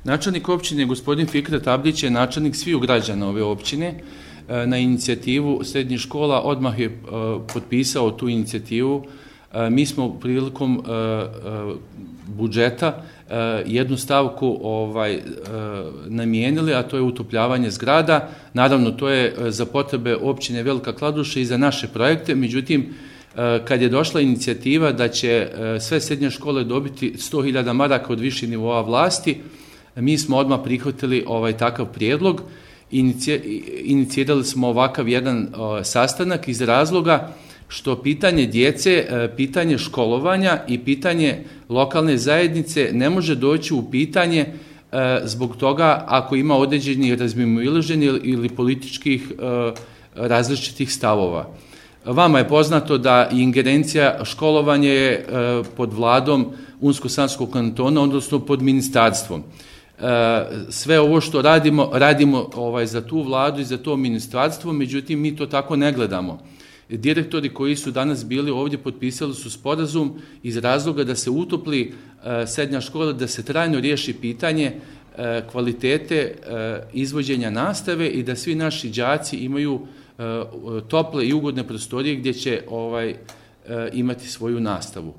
Načelnik općine gospodin Fikret Abdić je načelnik sviju građana ove općine. Na inicijativu srednjih škola odmah je potpisao tu inicijativu. Mi smo prilikom budžeta jednu stavku namijenili, a to je utopljavanje zgrada. Naravno, to je za potrebe općine Velika Kladuša i za naše projekte. Međutim, kad je došla inicijativa da će sve srednje škole dobiti 100.000 maraka od viših nivoa vlasti, mi smo odmah prihvatili takav prijedlog. Inicirali smo ovakav jedan sastanak iz razloga što pitanje djece, pitanje školovanja i pitanje lokalne zajednice ne može doći u pitanje zbog toga ako ima određenih razmimoilaženja ili političkih različitih stavova. Vama je poznato da ingerencija školovanja je pod vladom Unsko-sanskog kantona, odnosno pod ministarstvom. Sve ovo što radimo za tu vladu i za to ministarstvo, međutim mi to tako ne gledamo. Direktori koji su danas bili ovdje potpisali su sporazum iz razloga da se utopli srednja škola, da se trajno riješi pitanje kvalitete izvođenja nastave i da svi naši đaci imaju tople i ugodne prostorije gdje će imati svoju nastavu.